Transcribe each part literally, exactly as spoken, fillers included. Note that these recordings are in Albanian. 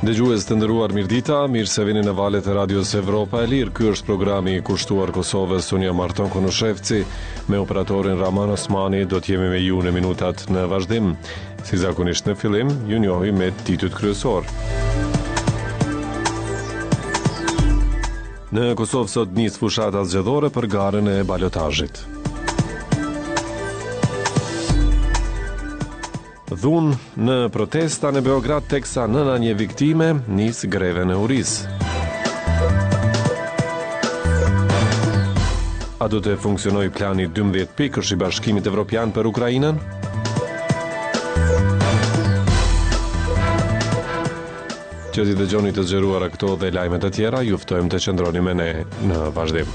Dëgjues të nderuar, mirëdita, mirë se vini në valët e Radios Evropa e Lirë. Ky është programi i kushtuar Kosovës. Unë jam Arton Konushevci, me operatorin Raman Osmani do të jemi me ju në minutat në vazhdim. Si zakonisht në fillim, ju njohim me titujt kryesor. Në Kosovë sot nis fushata zgjedhore për garën e balotazhit. Dhunë në protesta në Beograd teksa nëna një viktime nis grevën e urisë. A do të funksionojë plani dymbëdhjetë pikësh i Bashkimit Evropian për Ukrainën? Që t'i dëgjoni të zgjeruara këto dhe lajme të tjera, ju ftojmë të qëndroni me ne në vazhdim.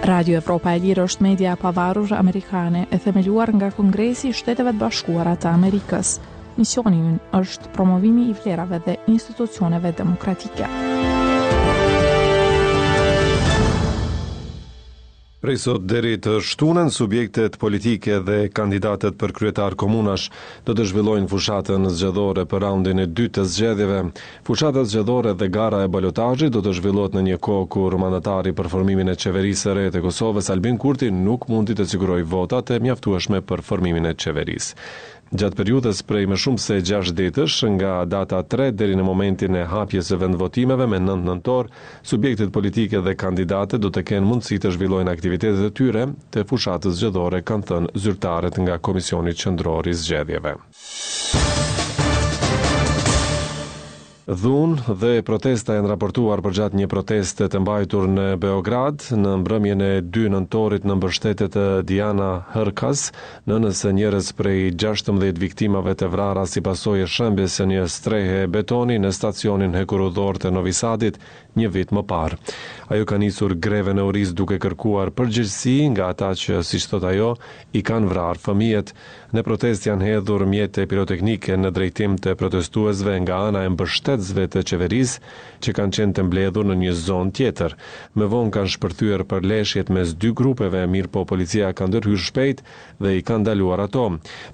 Radio Evropa e Lirë është media e pavarur amerikane e themeluar nga Kongresi i Shteteve të Bashkuara të Amerikës. Misioni ynë është promovimi i vlerave dhe institucioneve demokratike. Prej sot deri të shtunën, subjektet politike dhe kandidatët për kryetar komunash do të zhvillojnë fushatën zgjedhore për raundin e dytë të zgjedhjeve. Fushata zgjedhore dhe gara e balotazhit do të zhvillohet në një kohë kur mandatari për formimin e qeverisë së re të Kosovës, Albin Kurti, nuk mundi të sigurojë votat e mjaftueshme për formimin e qeverisë. Gjatë periudhës prej më shumë se gjashtë ditësh, nga data tre deri në momentin e hapjes së vendvotimeve me nëntë nëntor, subjektet politike dhe kandidatët do të kenë mundësi të zhvillojnë aktivitetet e tyre të fushatës zgjedhore, kanë thënë zyrtarët nga Komisioni Qendror i Zgjedhjeve. Dhunë dhe protesta janë raportuar përgjatë një proteste të mbajtur në Beograd në mbrëmjen e dy nëntorit në mbështetje të Diana Hërkas, nënës së njërës prej gjashtëmbëdhjetë viktimave të vrara si pasojë e shembjes së një strehe betoni në stacionin hekurudhor të Novi Sadit një vit më parë. Ajo ka nisur grevën e urisë duke kërkuar përgjegjësi nga ata që, siç thot ajo, i kanë vrarë fëmijët. Në protestë janë hedhur mjete piroteknike në drejtim të protestuesve nga ana e mbështetësve të qeverisë që kanë qenë të mbledhur në një zonë tjetër. Më vonë kanë shpërthyer përleshjet mes dy grupeve, mirëpo policia ka ndërhyrë shpejt dhe i ka ndaluar ato.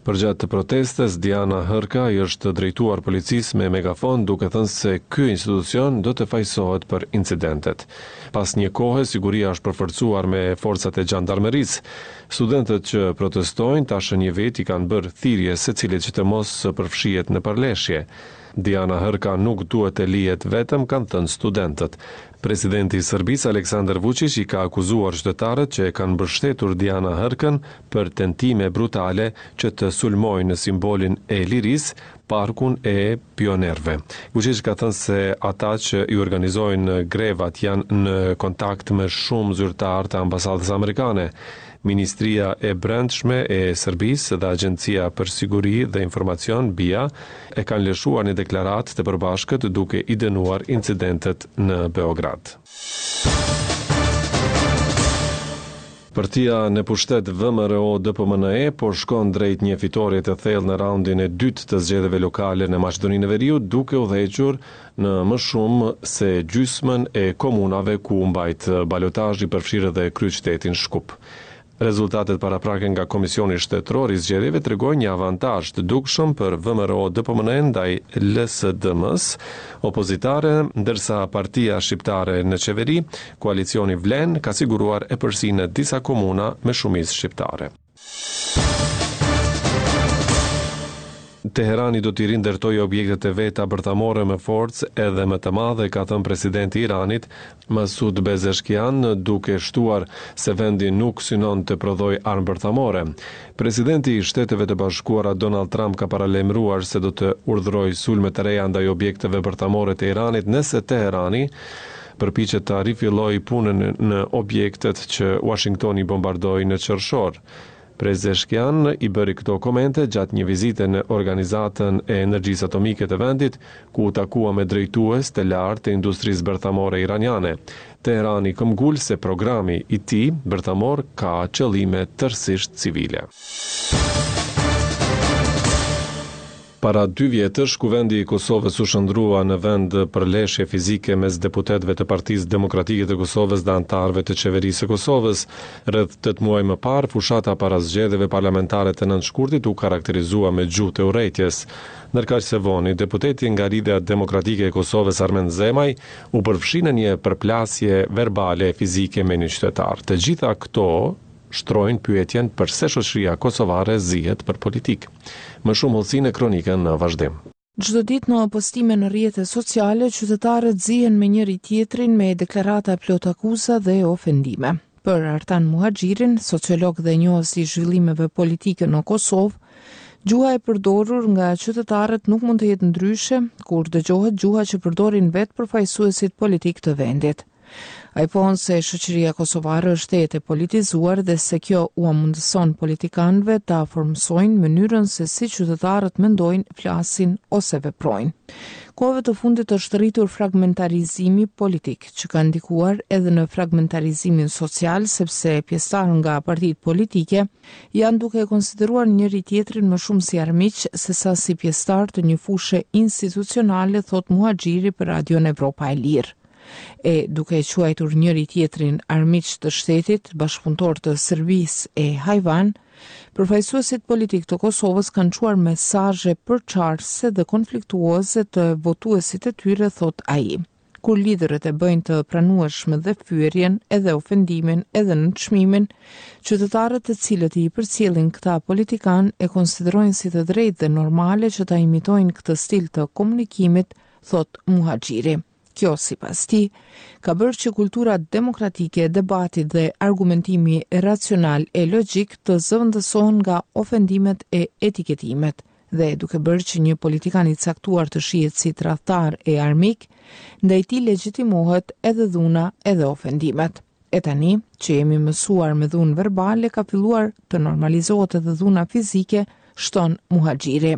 Përgjatë protestës, Diana Hërka i është drejtuar policisë me megafon duke thënë se ky institucion do të fajsohet për incidentet. Pas një kohe, siguria është përforcuar me forcat e xhandarmerisë. Studentët që protestojnë tash një vit i kanë bërë thirrje secilit që të mos përfshihet në përleshje. Diana Hërka nuk duhet të lihet vetëm, kanë thënë studentët. Presidenti i Serbisë Aleksandar Vučić i ka akuzuar qytetarët që e kanë mbështetur Diana Hërkën për tentime brutale që të sulmojnë në simbolin e lirisë, parkun e pionerëve. Vučić ka thënë se ata që i organizojnë grevat janë në kontakt me shumë zyrtarë të ambasadës amerikane. Ministria e Brendshme e Serbisë dhe Agjencia për Siguri dhe Informacion, B I A, e kanë lëshuar një deklaratë të përbashkët duke i dënuar incidentet në Beograd. Partia në pushtet V M R O D P M N E po shkon drejt një fitore të thellë në raundin e dytë të zgjedhjeve lokale në Maqedoninë e Veriut, duke udhëhequr në më shumë se gjysmën e komunave ku u mbajt balotazhi, përfshirë edhe kryeqytetin Shkup. Rezultatet paraprake nga Komisioni Shtetëror i Zgjedhjeve tregojnë një avantazh të dukshëm për V M R O D P M N E ndaj L S D M-s opozitare, ndërsa Partia Shqiptare në qeveri, koalicioni Vlen, ka siguruar epërsinë në disa komuna me shumicë shqiptare. Teherani do t'i rindërtojë objektet e veta bërthamore me forcë edhe më të madhe, ka thënë presidenti i Iranit, Masoud Pezeshkian, duke shtuar se vendi nuk synon të prodhojë armë bërthamore. Presidenti i Shteteve të Bashkuara Donald Trump ka paralajmëruar se do të urdhërojë sulme të reja ndaj objekteve bërthamore të Iranit nëse Teherani përpiqet ta rifillojë punën në objektet që Washingtoni bombardoi në qershor. Pezeshkian i bëri këto komente gjatë një vizite në Organizatën e Energjisë Atomike të vendit, ku u takua me drejtues të lartë të industrisë bërthamore iraniane. Teherani këmbgul se programi i tij bërthamor ka qëllime tërësisht civile. Para dy vjetësh, Kuvendi i Kosovës u shndërrua në vend përleshje fizike mes deputetëve të Partisë Demokratike të Kosovës dhe anëtarëve të Qeverisë së Kosovës. Rreth tetë muaj më parë, fushata para zgjedhjeve parlamentare të nëntë shkurtit u karakterizua me gjuhë të urrejtjes. Ndërkaq së voni, deputeti nga Lidhja Demokratike e Kosovës Armend Zemaj u përfshi në një përplasje verbale e fizike me një qytetar. Të gjitha këto shtrojnë pyetjen përse shoqëria kosovare zihet për politikë. Më shumë hollësi në kronikën në vazhdim. Çdo ditë në postime në rrjete sociale, qytetarët zihen me njëri tjetrin me deklarata plot akuza dhe ofendime. Për Artan Muhaxhirin, sociolog dhe njohës i zhvillimeve politike në Kosovë, gjuha e përdorur nga qytetarët nuk mund të jetë ndryshe kur dëgjohet gjuha që përdorin vetë përfaqësuesit politik të vendit. Ai pohon se shoqëria kosovare është tejet e politizuar dhe se kjo ua mundëson politikanëve ta formësojnë mënyrën se si qytetarët mendojnë, flasin ose veprojnë. Kohëve të fundit është rritur fragmentarizimi politik, që ka ndikuar edhe në fragmentarizimin social, sepse pjesëtarë nga partitë politike janë duke e konsideruar njëri tjetrin më shumë si armiq se sa si pjesëtar të një fushe institucionale, thot Muhaxhiri për Radion Evropa e Lirë. E duke e quajtur njëri tjetrin armiq të shtetit, bashkëpunëtor të Serbisë e hajvan, përfaqësuesit politik të Kosovës kanë çuar mesazhe përçarëse dhe konfliktuoze të votuesit e tyre, thot ai. Kur liderët e bëjnë të pranueshme dhe fyerjen, edhe ofendimin, edhe nënçmimin, qytetarët të cilët i përcjellin këta politikan e konsiderojnë si të drejtë dhe normale që ta imitojnë këtë stil të komunikimit, thot Muhaxhiri. Kjo, sipas tij, ka bërë që kultura demokratike e debatit dhe argumentimi racional e logjik të zëvendësohen nga ofendimet e etiketimet dhe duke bërë që një politikan i caktuar të shihet si tradhtar e armik, ndaj tij legjitimohet edhe dhuna edhe ofendimet. E tani, që jemi mësuar me dhunë verbale, ka filluar të normalizohet edhe dhuna fizike, shton Muhaxhiri.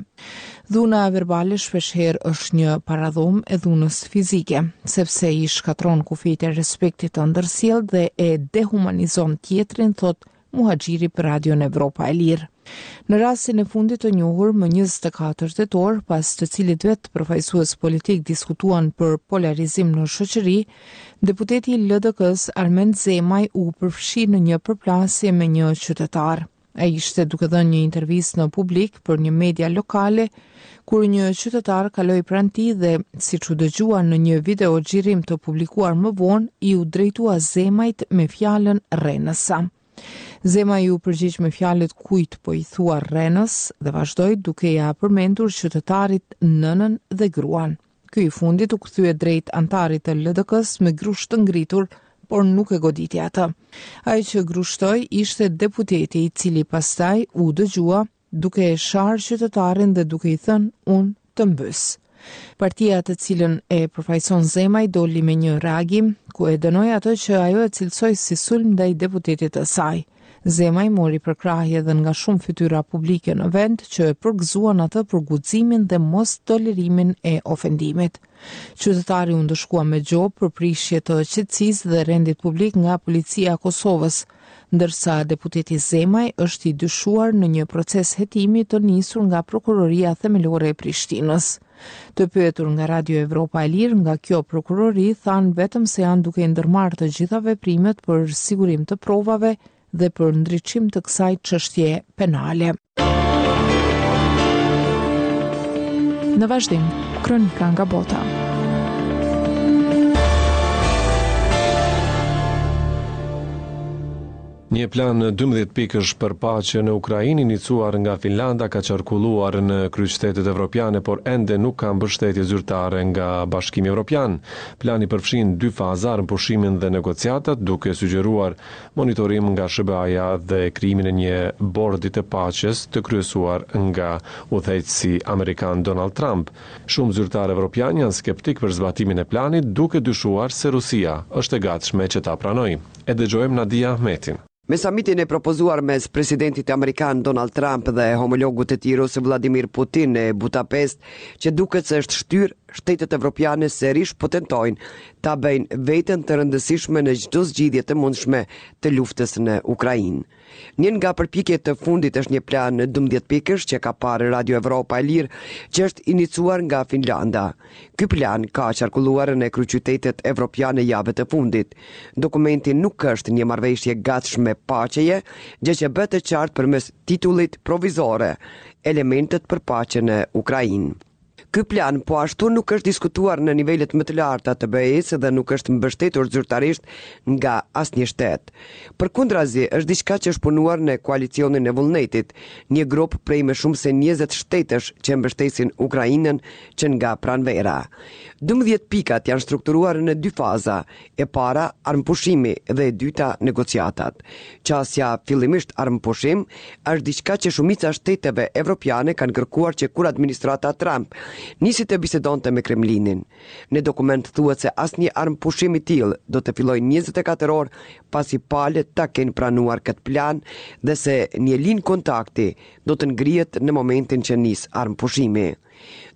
Dhuna verbale shpeshherë është një paradhom e dhunës fizike, sepse i shkatron kufijtë e respektit të ndërsjellë dhe e dehumanizon tjetrin, thot Muhaxhiri për Radion Evropa e Lirë. Në rastin e fundit të njohur më njëzet e katër tetor, pas të cilit vetë përfaqësues politik diskutuan për polarizim në shoqëri, deputeti i L D K-s Armend Zemaj u përfshi në një përplasje me një qytetar. Ai ishte duke dhënë një intervistë në publik për një media lokale, kur një qytetar kaloi pranë tij dhe, siç u dëgjua në një video xhirim të publikuar më vonë, iu drejtua Zemajt me fjalën Rrenësa. Zemaj iu përgjigj me fjalët kujt po i thua Rrenës dhe vazhdoi duke ia përmendur qytetarit nënën dhe gruan. Ky i fundit u kthye drejt antarit të L D K-s me grusht të ngritur, por nuk e goditi atë. Ai që grushtoi ishte deputeti i cili pastaj u dëgjua duke e sharë qytetarin dhe duke i thënë unë të mbys. Partia të cilën e përfaqëson Zemaj doli me një reagim ku e dënoi atë që ajo e cilësoi si sulm ndaj deputetit të saj. Zemaj mori përkrahje edhe nga shumë fytyra publike në vend që e përgëzuan atë për guximin dhe mos tolerimin e ofendimit. Qytetari u ndëshkua me gjobë për prishje të qetësisë dhe rendit publik nga policia e Kosovës, ndërsa deputeti Zemaj është i dyshuar në një proces hetimi të nisur nga Prokuroria Themelore e Prishtinës. Të pyetur nga Radio Evropa e Lirë nga kjo prokurori thanë vetëm se janë duke ndërmarrë të gjitha veprimet për sigurim të provave dhe për ndriçim të kësaj çështje penale. Në vazhdim, kronika nga bota. Një plan dymbëdhjetë pikësh për paqe në Ukrainë iniciuar nga Finlanda ka qarkulluar në kryeqytetet evropiane, por ende nuk ka mbështetje zyrtare nga Bashkimi Evropian. Plani përfshin dy faza, armëpushimin dhe negociatat, duke sugjeruar monitorim nga S H B A-ja dhe krijimin e një bordi të paqes të kryesuar nga udhëheqësi amerikan Donald Trump. Shumë zyrtarë evropian janë skeptik për zbatimin e planit, duke dyshuar se Rusia është e gatshme që ta pranojë. E dëgjojmë Nadia Ahmetin. Me samitin e propozuar mes presidentit amerikan Donald Trump dhe homologut të tij rus Vladimir Putin në Budapest, që duket se është shtyrë, shtetet evropiane sërish po tentojnë ta bëjnë veten të rëndësishme në çdo zgjidhje të mundshme të luftës në Ukrainë. Një nga përpjekjet të fundit është një plan dymbëdhjetë pikësh që ka parë Radio Evropa e Lirë, që është inicuar nga Finlanda. Ky plan ka qarkulluar në kryeqytetet evropiane javët e fundit. Dokumenti nuk është një marrëveshje e gatshme paqeje, gjë që bëhet e qartë përmes titullit provizore, Elementet për paqe në Ukrainë. Ky plan po ashtu nuk është diskutuar në nivelet më të larta të B E-së dhe nuk është mbështetur zyrtarisht nga asnjë shtet. Përkundrazi, është diçka që është punuar në koalicionin e vullnetit, një grup prej më shumë se njëzet shtetesh që mbështesin Ukrainën që nga pranvera. Dymbëdhjetë pikat janë strukturuar në dy faza, e para armëpushimi dhe e dyta negociatat. Qasja fillimisht armëpushim është diçka që shumica e shteteve evropiane kanë kërkuar që kur administrata Trump nisi të bisedonte me Kremlinin. Në dokument thuhet se asnjë armëpushim i tillë do të fillojë njëzet e katër orë pasi palët ta kenë pranuar këtë plan dhe se një linjë kontakti do të ngrihet në momentin që nis armëpushimi.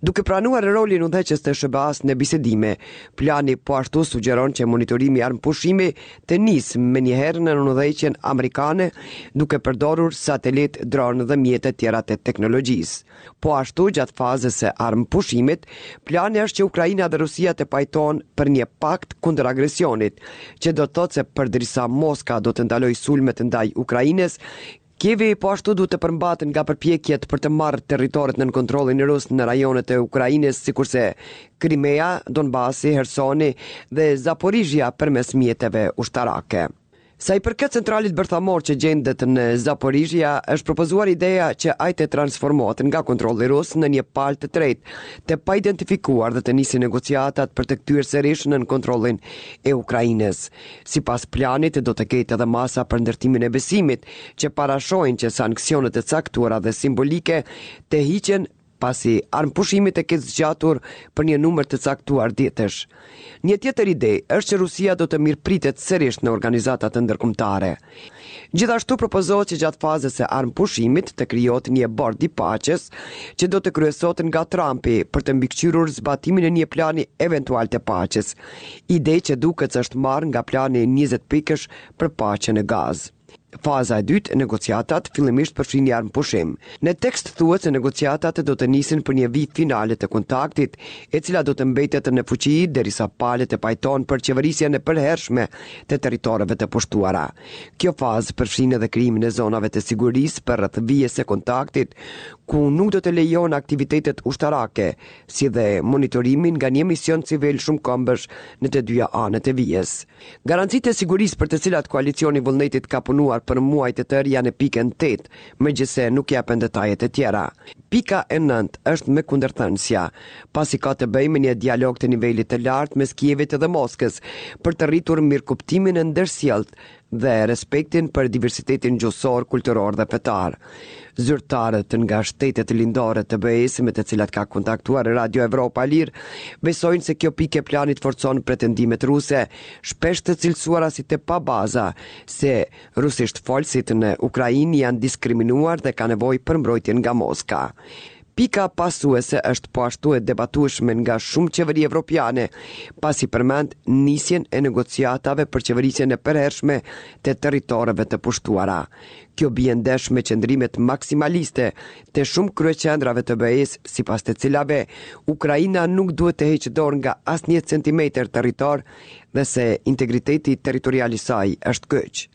Duke pranuar rolin udhëheqës të S H B A-s në bisedime, plani po ashtu sugjeron që monitorimi i armëpushimi të nisë menjëherë në udhëheqjen amerikane, duke përdorur satelit, dron dhe mjete tjera të teknologjisë. Po ashtu, gjatë fazës së armëpushimit, plani është që Ukraina dhe Rusia të pajtohen për një pakt kundër agresionit, që do të thotë se përderisa Moska do të ndalojë sulmet ndaj Ukrainës, Kievi po ashtu duhet të përmbahet nga përpjekjet për të marrë territoret nën kontrollin rus në rajonet e Ukrainës, sikurse Krimea, Donbasi, Hersoni dhe Zaporizhia përmes mjeteve ushtarake. Sa i përket centralit bërthamor që gjendet në Zaporizhia, është propozuar ideja që ai të transformohet nga kontrolli rus në një palë të tretë, të paidentifikuar dhe të nisin negociatat për të kthyer sërish nën kontrollin e Ukrainës. Sipas planit, do të ketë edhe masa për ndërtimin e besimit, që parashohin që sanksionet e caktuara dhe simbolike të hiqen pasi armëpushimi të ketë zgjatur për një numër të caktuar ditësh. Një tjetër ide është që Rusia do të mirëpritet sërish në organizatat ndërkombëtare. Gjithashtu propozohet që gjatë fazës së armëpushimit të krijohet një bord i paqes që do të kryesohet nga Trumpi për të mbikëqyrur zbatimin e një plani eventual të paqes. Ide që duket se është marrë nga plani njëzet pikësh për paqe në Gazë. Faza e dytë, negociatat, fillimisht përfshin një armëpushim. Në tekst thuhet se negociatat do të nisin për një vijë finale të kontaktit, e cila do të mbetet në fuqi derisa palët e pajtohen për qeverisjen e përhershme të territoreve të pushtuara. Kjo fazë përfshin edhe krijimin e zonave të sigurisë për rreth vijës së kontaktit, ku nuk do të lejohen aktivitetet ushtarake, si dhe monitorimin nga një mision civil shumëkombësh në të dyja anët e vijës. Garancitë e sigurisë për të cilat koalicioni i vullnetit ka punuar për muaj të tërë janë në pikën tetë, megjithëse nuk jepen detajet e tjera. Pika e nëntë është me kundërthënësja, pasi ka të bëjë me një dialog të nivelit të lartë mes Kievit dhe Moskës për të rritur mirëkuptimin e ndërsjelltë dhe respektin për diversitetin gjuhësor, kulturor dhe fetar. Zyrtarët nga shtetet lindore të B E-së me të cilat ka kontaktuar Radio Evropa e Lirë besojnë se kjo pikë e planit forcon pretendimet ruse, shpesh të cilësuara si të pabaza, se rusisht folësit në Ukrainë janë diskriminuar dhe kanë nevojë për mbrojtjen nga Moska. Pika pasuese është po ashtu e debatueshme nga shumë qeveri evropiane, pasi përmend nisjen e negociatave për qeverisjen e përhershme të territoreve të pushtuara. Kjo bie ndesh me qëndrimet maksimaliste të shumë kryeqendrave të B E-s, sipas të cilave Ukraina nuk duhet të heqë dorë nga asnjë centimetër territor dhe se integriteti territorial i saj është kyç.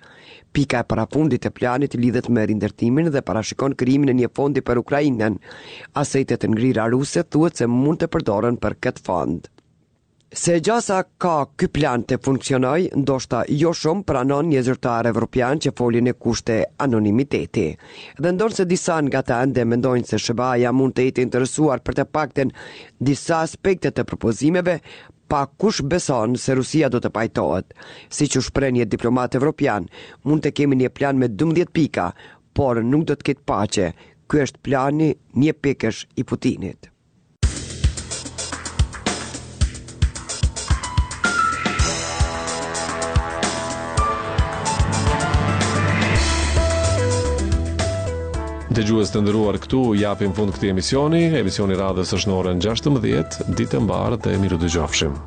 Pika e parafundit e planit lidhet me rindërtimin dhe parashikon krijimin e një fondi për Ukrainën. Asetet e ngrira ruse thuhet se mund të përdoren për këtë fond. Se gjasa ka ky plan të funksionoj, ndoshta jo shumë, pranon një zyrtar evropian që foli në kushte anonimiteti. Dhe ndonëse disa nga ta ende mendojnë se S H B A-ja mund të jetë interesuar për të paktën disa aspekte të propozimeve, pak kush beson se Rusia do të pajtohet. Siç u shpreh një diplomat evropian, mund të kemi një plan me dymbëdhjetë pika, por nuk do të ketë paqe. Ky është plani një pikësh i Putinit. Dëgjues të nderuar, këtu japim fund këtij emisioni. Emisioni radhës është në orën gjashtëmbëdhjetë. Ditë e mbarë dhe mirë u dëgjofshim.